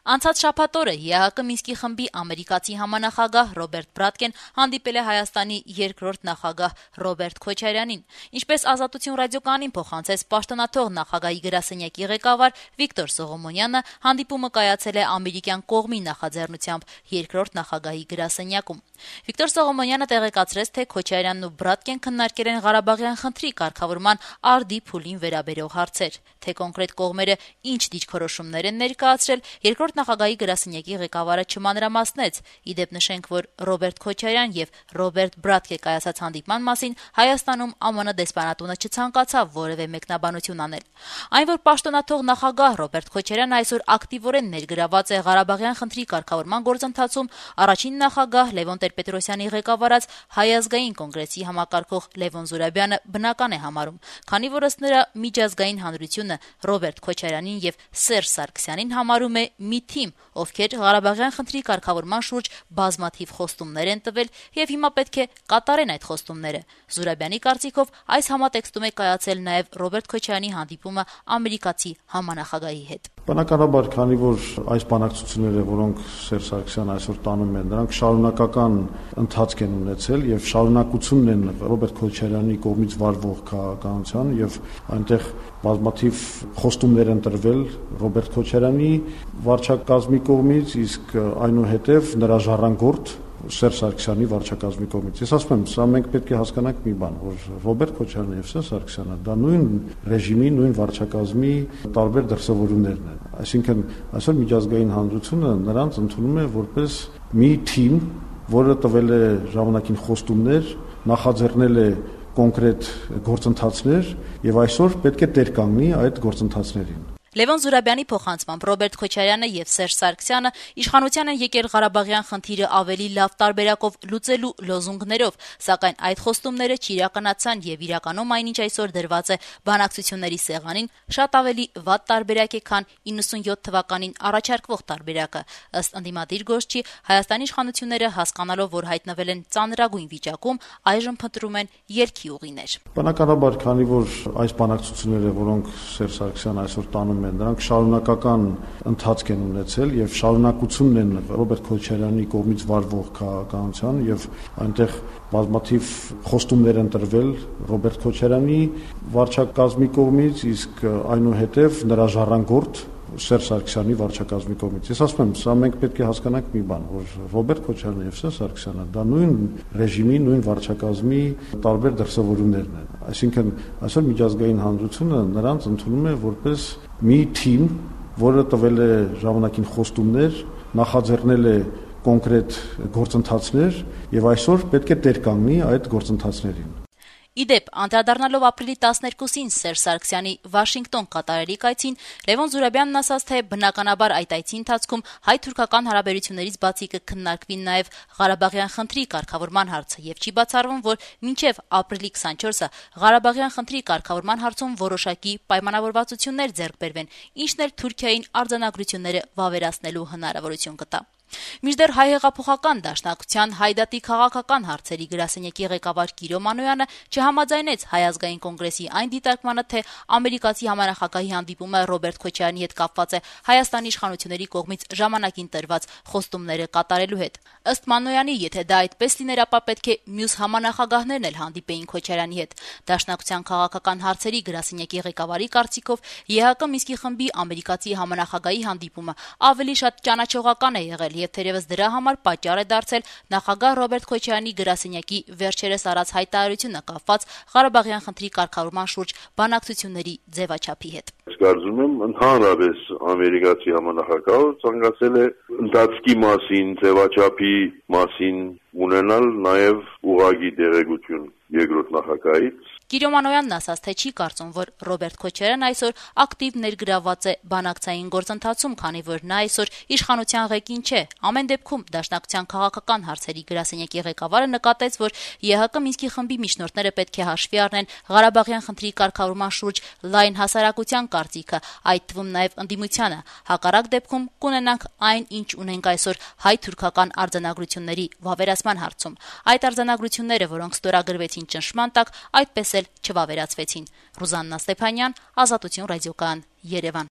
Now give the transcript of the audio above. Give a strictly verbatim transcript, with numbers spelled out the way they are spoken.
Անցած շաբաթ օրը ԵԱՀԿ Մինսկի խմբի ամերիկացի համանախագահ Ռոբերտ Բրատկեն հանդիպել է Հայաստանի երկրորդ նախագահ Ռոբերտ Քոչարյանին։ Ինչպես Ազատություն ռադիոկայանին փոխանցեց պաշտոնաթող նախագահի գրասենյակի ղեկավար Վիկտոր Սողոմոնյանը, հանդիպումը կայացել է ամերիկյան կողմի նախաձեռնությամբ երկրորդ նախագահի գրասենյակում։ Վիկտոր Սողոմոնյանը տեղեկացրեց, թե Քոչարյանն ու Բրատկեն քննարկել են Ղարաբաղյան խնդրի կարգավորման արդի փուլին վերաբերող հարցեր։ Թե կոնկրետ կողմերը ինչ դիրքորոշումներ են ներկայացրել, երկրորդ նախագահի գրասենյակի ղեկավարը չմանրամասնեց։ Իդեպ նշենք, որ Ռոբերտ Քոչարյան եւ Ռոբերտ Բրատկե կայացած հանդիպման մասին Հայաստանում ԱՄՆ դեսպանատունը չցանկացավ որևէ մեկնաբանություն անել։ Այն, որ պաշտոնաթող նախագահ Ռոբերտ Քոչարյանը այսօր ակտիվորեն ներգրաված է Ղարաբաղյան խնդրի կարգավորման գործընթացում, առաջին նախագահ Լևոն Տեր-Պետրոսյանի ղեկավարած Հայ ազգային կոնգրեսի համակարգող Լևոն Զուրաբյանը բնական է համարում, քանի որ ըստ նրա միջազգային հանրությունը Ռոբերտ Քոչարյանին եւ Սերժ Սարգսյանին համարում է մի թիմ, ովքեր Ղարաբաղյան խնդրի կարգավորման շուրջ բազմաթիվ խոստումներ են տվել եւ հիմա պետք է կատարեն այդ խոստումները։ Զուրաբյանի կարծիքով այս համատեքստում է կայացել նաեւ Ռոբերտ Քոչարյանի հանդիպումը ամերիկացի համանախագահի հետ։ Բնականաբար, քանի որ այս բանակցությունները, որոնք Սերժ Սարգսյանը այսօր տանում են, նրանք շարունակական ընթացք են ունեցել եւ շարունակությունն են Ռոբերտ Քոչարյանի կողմից վարվող քաղաքականության եւ այնտեղ բազմաթիվ խոստումներ են տրվել Ռոբերտ Քոչարյանի վարչակազմի կողմից, իսկ այնուհետև նրա ժառանգորդ Սերժ Սարգսյանի վարչակազմի կողմից։ Ես ասում եմ, սա մենք պետք է հասկանանք մի բան, որ Ռոբերտ Քոչարյանը եւ Սերժ Սարգսյանը դա նույն ռեժիմի, նույն վարչակազմի տարբեր դրսևորումներն են։ Այսինքն այսօր միջազգային հանրությունը նրանց ընդունում է որպես մի թիմ, որը տվել է ժամանակին խոստումներ, նախաձեռնել է կոնկրետ գործընթացներ եւ այսօր պետք է տեր կանգնի այդ գործընթացներին։ Լևոն Զուրաբյանի փոխանցմամբ Ռոբերտ Քոչարյանը եւ Սերժ Սարգսյանը իշխանության են եկել Ղարաբաղյան խնդիրը ավելի լավ տարբերակով լուծելու լոզունգներով, սակայն այդ խոստումները չիրականացան եւ իրականում այնինչ այսօր դրված է բանակցությունների սեղանին շատ ավելի վատ տարբերակ է, քան իննսունյոթ թվականին առաջարկվող տարբերակը։ Ըստ ընդդիմադիր գործչի, Հայաստանի իշխանությունները հասկանալով, որ հայտնվել են ծանրագույն վիճակում, այժմ փնտրում են ելքի ուղիներ։ Բնականաբար, քանի որ այս բանակցությունները, որոնք Սերժ Սարգսյանը այսօր տանում նրանք շարունակական ընթացք են ունեցել եւ շարունակությունն են Ռոբերտ Քոչարյանի կողմից վարվող քաղաքականության եւ այնտեղ բազմաթիվ խոստումներ են տրվել Ռոբերտ Քոչարյանի վարչակազմի կողմից, իսկ այնուհետև նրա ժառանգորդ Սերժ Սարգսյանի վարչակազմի կողմից։ Ես ասում եմ, սա մենք պետք է հասկանանք մի բան, որ Ռոբերտ Քոչարյանը եւ Սերժ Սարգսյանը դա նույն ռեժիմի, նույն վարչակազմի տարբեր դրսևորումներն են։ Այսինքն այսօր միջազգային հանրությունը նրանց ընդունում է որպես մի թիմ, որը տվել է ժամանակին խոստումներ, նախաձեռնել է կոնկրետ գործընթացներ եւ այսօր պետք է տեր կանգնի այդ գործընթացներին։ Իդեպ, անդրադառնալով ապրիլի տասներկուսին Սերժ Սարգսյանի Վաշինգտոն կատարելիք այցին, Լևոն Զուրաբյանն ասաց, թե բնականաբար այդ այցի ընթացքում հայ-թուրքական հարաբերություններից բացի կքննարկվի նաև Ղարաբաղյան խնդրի կարգավորման հարցը եւ չի բացառվում, որ մինչեւ ապրիլի քսանչորսը Ղարաբաղյան խնդրի կարգավորման հարցում որոշակի պայմանավորվածություններ ձեռք բերվեն, ինչն էլ Թուրքիային արձանագրությունները վավերացնելու հնարավորություն կտա։ Մինչդեռ հայ հեղափոխական դաշնակցության հայդատի քաղաքական հարցերի գրասենյակի ղեկավար Կիրո Մանոյանը չհամաձայնեց Հայ ազգային կոնգրեսի այն դիտարկմանը, թե ամերիկացի համանախագահի հանդիպումը Ռոբերտ Քոչարյանի հետ կապված է Հայաստանի իշխանությունների կողմից ժամանակին տրված խոստումները կատարելու հետ։ Ըստ Մանոյանի, եթե դա այդպես լիներ, ապա պետք է մյուս համանախագահներն էլ հանդիպեին Քոչարյանի հետ։ Դաշնակցության քաղաքական հարցերի գրասենյակի ղեկավարի կարծիքով ԵԱՀԿ Մինսկի խմբի ամերիկացի համանախագահի հանդիպումը ավելի շատ ճանաչողական է եղել եւ թերևս դրա համար պատճառ է դարձել նախագահ Ռոբերտ Քոչարյանի գրասենյակի վերջերս արած հայտարարությունը կապված Ղարաբաղյան խնդրի կարգավորման շուրջ բանակցությունների ձևաչափի հետ։ Կարծում եմ ընդհանրապես ամերիկացի համանախագահը ցանկացել է ընթացքի մասին, ձևաչափի մասին ունենալ նաև ուղղակի տեղեկություն երկրորդ նախագահից։ Կիրո Մանոյանն ասաց, թե չի կարծում, որ Ռոբերտ Քոչարյանն այսօր ակտիվ ներգրաված է բանակցային գործընթացում, քանի որ նա այսօր իշխանության ղեկին չէ։ Ամեն դեպքում դաշնակցության քաղաքական հարցերի գրասենյակի ղեկավարը նկատեց, որ ԵԱՀԿ Մինսկի խմբի միջնորդները պետք է հաշվի առնեն Ղարաբաղյան խնդրի կարգավորման շուրջ լայն հասարակության կարծիքը, այդ թվում նաև ընդդիմությանը։ Հակառակ դեպքում կունենանք այն, ինչ ունենք այսօր հայ-թուրքական արձանագրությունների վավերացման հարցում։ Այդ արձանագրությունները, որոնք ստորագրվեցին ճնշման տակ, այդպես էլ չվավերացվեցին։ Ռուզաննա Ստեփանյան, Ազատություն ռադիոկայան, Երևան։